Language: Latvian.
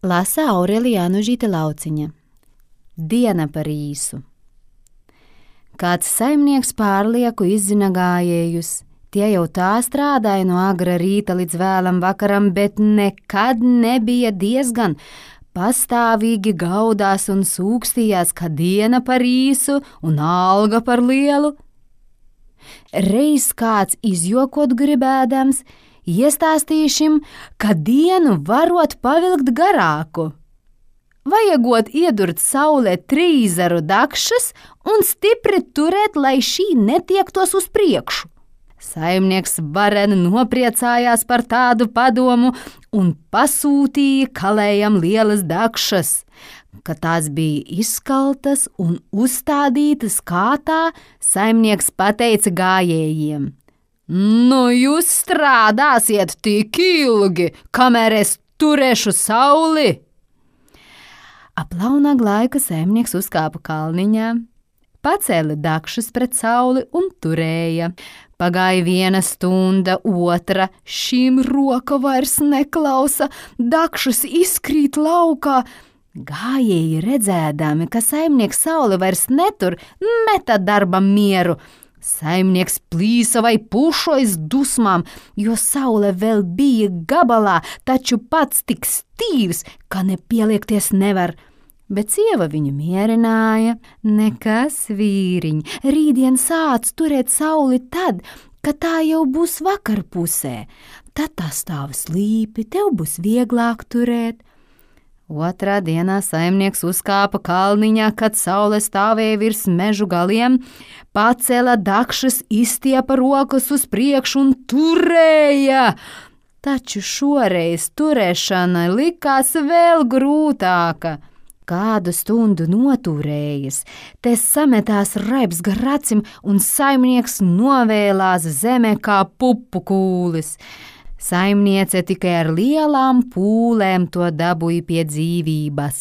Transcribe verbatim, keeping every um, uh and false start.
Lasa Aurelija Anužīte Lauciņa. Diena par īsu. Kāds saimnieks pārlieku izzina gājējus. Tie jau tā strādāja no agra rīta līdz vēlam vakaram, bet nekad nebija diezgan. Pastāvīgi gaudās un sūkstījās, ka diena par īsu un alga par lielu. Reiz kāds izjokot gribēdams, iestāstīšim, ka dienu varot pavilkt garāku. Vajagot iedurt saulē trīzaru dakšas un stipri turēt, lai šī netiektos uz priekšu. Saimnieks varen nopriecājās par tādu padomu un pasūtīja kalējam lielas dakšas. Kad tās bija izskaltas un uzstādītas kātā, saimnieks pateica gājējiem: "Nu, jūs strādāsiet tik ilgi, kamēr es turēšu sauli." Aplaunā laika saimnieks uzkāpa kalniņā, pacēla dakšas pret sauli un turēja. Pagāja viena stunda, otra, šīm roka vairs neklausa, dakšas izkrīt laukā. Gājēji redzēdami, ka saimnieks sauli vairs netur, meta darbam mieru. Saimnieks plīsa vai pušojas dusmām, jo saule vēl bija gabalā, taču pats tik stīvs, ka nepieliekties nevar. Bet sieva viņu mierināja: "Nekas, vīriņ, rītdien sāc turēt sauli tad, kad tā jau būs vakarpusē. Tad tā stāv slīpi, tev būs vieglāk turēt." Otrā dienā saimnieks uzkāpa kalniņā, kad saule stāvēja virs mežu galiem, pacēla dakšas, izstiepa rokas uz priekšu un turēja. Taču šoreiz turēšana likās vēl grūtāka. Kādu stundu noturējies, te sametās raibs gar acim un saimnieks novēlās zemē kā pupu kūlis. Saimniece tikai ar lielām pūlēm to dabūja pie dzīvības.